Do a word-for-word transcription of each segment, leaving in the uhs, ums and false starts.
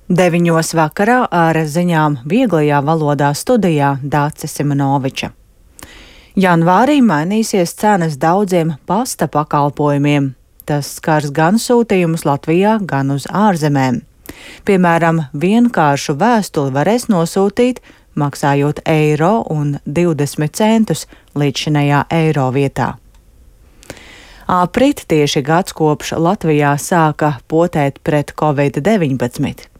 Deviņos vakarā ar ziņām vieglajā valodā studijā Dāce Simonoviča. Janvārī mainīsies cenas daudziem pasta pakalpojumiem. Tas skars gan sūtījumus Latvijā, gan uz ārzemēm. Piemēram, vienkāršu vēstuli varēs nosūtīt, maksājot eiro un divdesmit centus līdzšinējā eiro vietā. Aprīt tieši gads kopš Latvijā sāka potēt pret covid deviņpadsmit.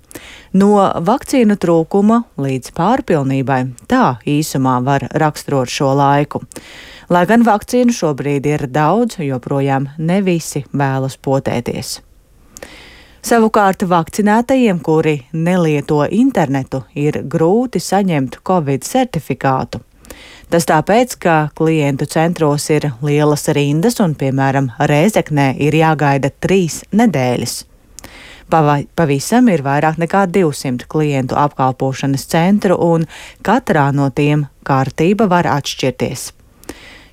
No vakcīnu trūkuma līdz pārpilnībai tā īsumā var raksturot šo laiku. Lai gan vakcīnu šobrīd ir daudz, joprojām ne visi vēlas potēties. Savukārt vakcinētajiem, kuri nelieto internetu, ir grūti saņemt covid certifikātu. Tas tāpēc, ka klientu centros ir lielas rindas un, piemēram, Rēzeknē ir jāgaida trīs nedēļas. Pavisam ir vairāk nekā divsimt klientu apkalpošanas centru, un katrā no tiem kārtība var atšķirties.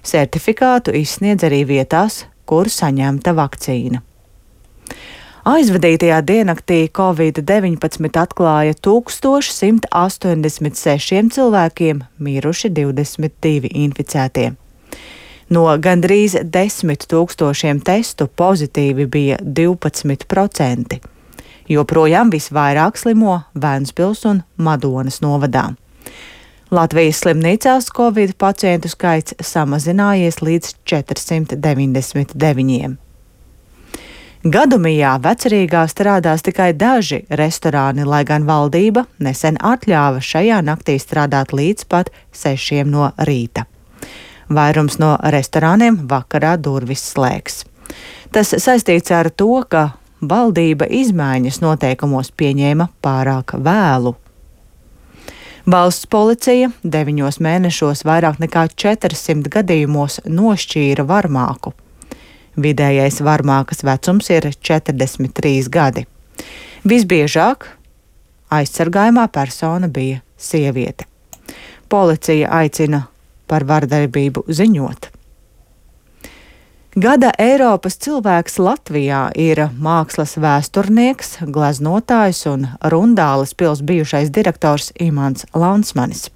Certifikātu izsniedz arī vietās, kur saņemta vakcīna. Aizvadītajā diennaktī covid deviņpadsmit atklāja tūkstoš simt astoņdesmit sešiem cilvēkiem, miruši divdesmit divi inficētie. No gandrīz desmit tūkstošiem testu pozitīvi bija divpadsmit procenti. Joprojām visvairāk slimo Ventspils un Madonas novadā. Latvijas slimnīcās covid pacientu skaits samazinājies līdz četrsimt deviņdesmit deviņiem. Gadumijā Vecerīgā strādās tikai daži restorāni, lai gan valdība nesen atļāva šajā naktī strādāt līdz pat sešiem no rīta. Vairums no restorāniem vakarā durvis slēgs. Tas saistīts ar to, ka valdība izmaiņas noteikumos pieņēma pārāk vēlu. Valsts policija deviņos mēnešos vairāk nekā četrsimt gadījumos nošķīra varmāku. Vidējais varmākas vecums ir četrdesmit trīs gadi. Visbiežāk aizsargājumā persona bija sieviete. Policija aicina par vardarbību ziņot. Gada Eiropas cilvēks Latvijā ir mākslas vēsturnieks, gleznotājs un Rundāles pils bijušais direktors Imants Lansmanis.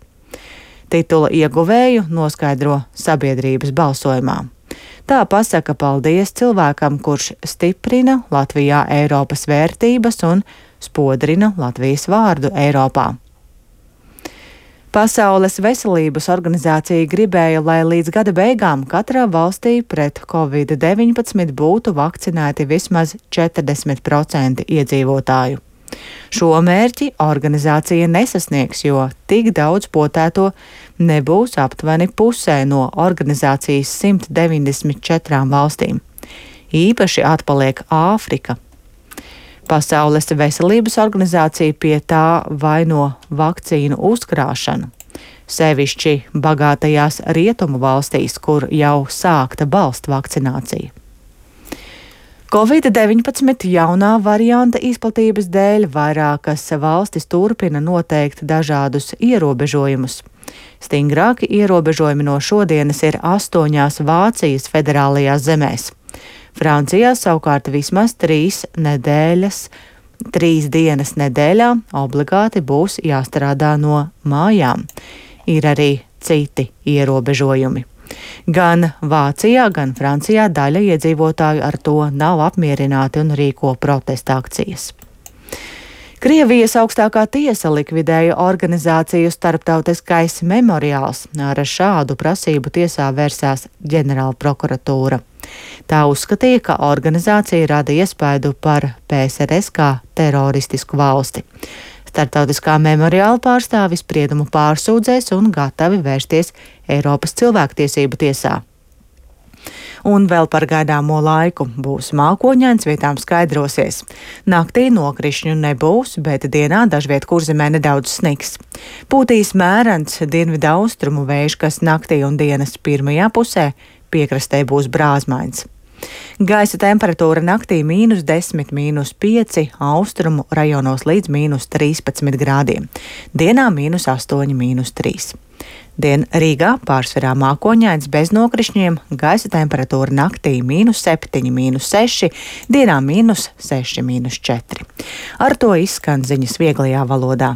Titula ieguvēju noskaidro sabiedrības balsojumā. Tā pasaka paldies cilvēkam, kurš stiprina Latvijā Eiropas vērtības un spodrina Latvijas vārdu Eiropā. Pasaules veselības organizācija gribēja, lai līdz gada beigām katrā valstī pret covid deviņpadsmit būtu vakcinēti vismaz četrdesmit procenti iedzīvotāju. Šo mērķi organizācija nesasniegs, jo tik daudz potēto nebūs aptuveni pusē no organizācijas simt deviņdesmit četrām valstīm. Īpaši atpaliek Āfrika. Pasaules veselības organizācija pie tā vaino vakcīnu uzkrāšanu, sevišķi bagātajās rietumu valstīs, kur jau sākta balstu vakcinācija. covid deviņpadsmit jaunā varianta izplatības dēļ vairākas valstis turpina noteikt dažādus ierobežojumus. Stingrāki ierobežojumi no šodienas ir astoņās Vācijas federālajās zemēs. Francijā savukārt vismaz trīs nedēļas, trīs dienas nedēļā obligāti būs jāstrādā no mājām. Ir arī citi ierobežojumi. Gan Vācijā, gan Francijā daļa iedzīvotāju ar to nav apmierināti un rīko protesta akcijas. Krievijas augstākā tiesa likvidēja organizāciju Starptautiskais memoriāls. Ar šādu prasību tiesā vērsās ģenerālprokuratūra. Tā uzskatīja, ka organizācija rada iespaidu par P S R S kā teroristisku valsti. Starptautiskā memoriāla pārstāvis spriedumu pārsūdzēs un gatavi vērsties Eiropas cilvēktiesību tiesā. Un vēl par gaidāmo laiku būs mākoņains, vietām skaidrosies. Naktī nokrišņu nebūs, bet dienā dažviet kurzemē nedaudz sniks. Pūtīs mērens dienvidu austrumu vējš, kas naktī un dienas pirmajā pusē piekrastē būs brāzmains. Gaisa temperatūra naktī mīnus desmit, mīnus pieci, austrumu rajonos līdz mīnus trīspadsmit grādiem. Dienā mīnus astoņi, mīnus trīs. Dien Rīgā pārsvarā mākoņains bez nokrišņiem, gaisa temperatūra naktī mīnus septiņi, mīnus seši, dienā mīnus seši, mīnus četri. Ar to izskan ziņas vieglajā valodā.